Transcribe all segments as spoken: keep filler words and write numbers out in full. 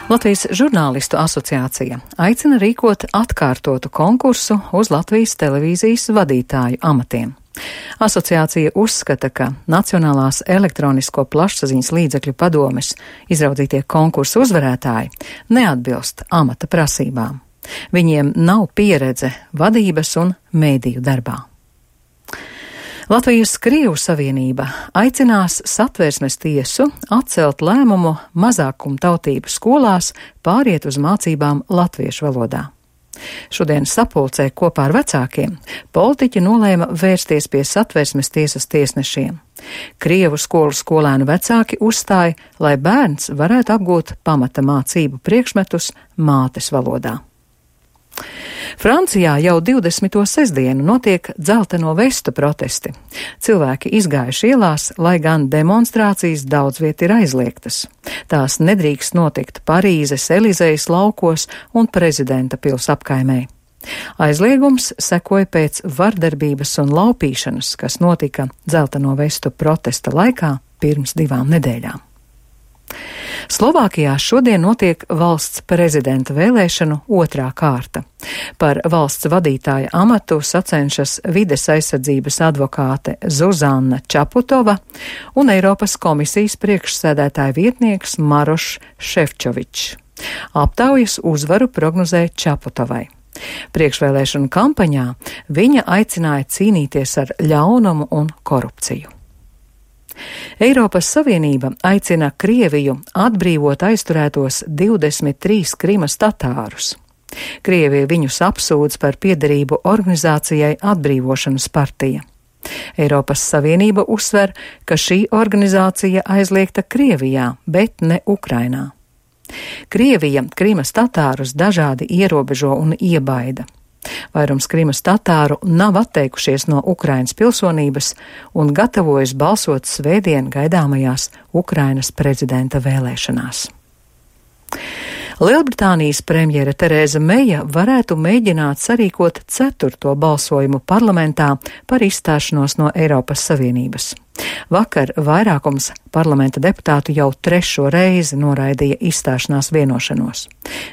Latvijas žurnālistu asociācija aicina rīkot atkārtotu konkursu uz Latvijas televīzijas vadītāju amatiem. Asociācija uzskata, ka Nacionālās elektronisko plašsaziņas līdzekļu padomes izraudzītie konkursu uzvarētāji neatbilst amata prasībām. Viņiem nav pieredze vadības un mēdīju darbā. Latvijas Krievu savienība aicinās Satversmes tiesu atcelt lēmumu mazākumtautību skolās pāriet uz mācībām latviešu valodā. Šodien sapulcē kopā ar vecākiem politiķi nolēma vērsties pie Satversmes tiesas tiesnešiem. Krievu skolu skolēnu vecāki uzstāja, lai bērns varētu apgūt pamata mācību priekšmetus mātes valodā. Francijā jau divdesmito sestdienu notiek dzelteno vestu protesti. Cilvēki izgājuši ielās, lai gan demonstrācijas daudz viet ir aizliegtas. Tās nedrīkst notikt Parīzes Elizejas laukos un prezidenta pils apkaimē. Aizliegums sekoja pēc vardarbības un laupīšanas, kas notika dzelteno vestu protesta laikā pirms divām nedēļām. Slovākijā šodien notiek valsts prezidenta vēlēšanu otrā kārta. Par valsts vadītāja amatu sacenšas vides aizsardzības advokāte Zuzana Čaputova un Eiropas komisijas priekšsēdētāja vietnieks Marošs Šefčovičs. Aptaujas uzvaru prognozē Čaputovai. Priekšvēlēšanu kampaņā viņa aicināja cīnīties ar ļaunumu un korupciju. Eiropas Savienība aicina Krieviju atbrīvot aizturētos divdesmit trīs Krimas tatārus. Krievija viņus apsūdz par piederību organizācijai Atbrīvošanas partija. Eiropas Savienība uzsver, ka šī organizācija aizliegta Krievijā, bet ne Ukrainā. Krievija Krimas tatārus dažādi ierobežo un iebaida. Vairums Krimas tatāru nav atteikušies no Ukrainas pilsonības un gatavojas balsot svētdien gaidāmajās Ukrainas prezidenta vēlēšanās. Lielbritānijas premjere Terēza Meija varētu mēģināt sarīkot ceturto balsojumu parlamentā par izstāšanos no Eiropas Savienības. Vakar vairākums parlamenta deputātu jau trešo reizi noraidīja izstāšanās vienošanos.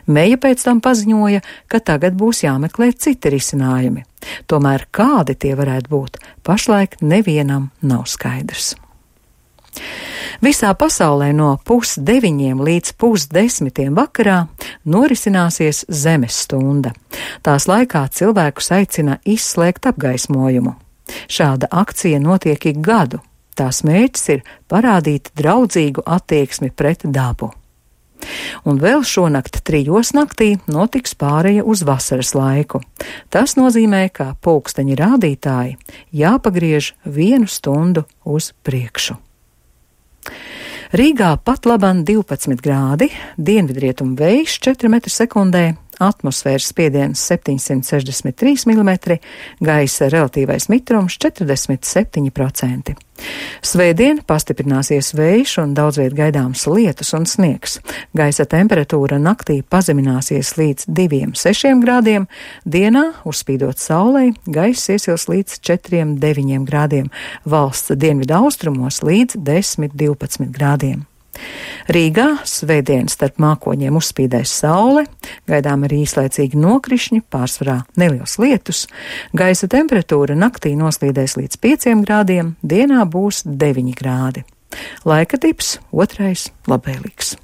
Meija pēc tam paziņoja, ka tagad būs jāmeklē citi risinājumi. Tomēr kādi tie varētu būt, pašlaik nevienam nav skaidrs. Visā pasaulē no pusdeviņiem līdz pusdesmitiem vakarā norisināsies Zemes stunda. Tās laikā cilvēkus aicina izslēgt apgaismojumu. Šāda akcija notiek ik gadu. Tās mērķis ir parādīt draudzīgu attieksmi pret dabu. Un vēl šonakt trijos naktī notiks pāreja uz vasaras laiku. Tas nozīmē, ka pulksteņa rādītāji jāpagriež vienu stundu uz priekšu. Rīgā patlaban divpadsmit grādi, dienvidrietumu vējš četri metri sekundē, atmosfēras spiediens septiņsimt sešdesmit trīs milimetri, gaisa relatīvais mitrums četrdesmit septiņi procenti. Svētdien pastiprināsies vējš un daudzviet gaidāms lietus un sniegs. Gaisa temperatūra naktī pazemināsies līdz diviem sešiem grādiem, dienā, uzspīdot saulei, gaiss iesils līdz četriem deviņiem grādiem, valsts dienvidu austrumos līdz desmit divpadsmit grādiem. Rīgā svētdien starp mākoņiem uzspīdēs saule, gaidām arī īslaicīgi nokrišņi, pārsvarā neliels lietus, gaisa temperatūra naktī noslīdēs līdz pieciem grādiem, dienā būs deviņi grādi. Laika tips otrais labvēlīgs.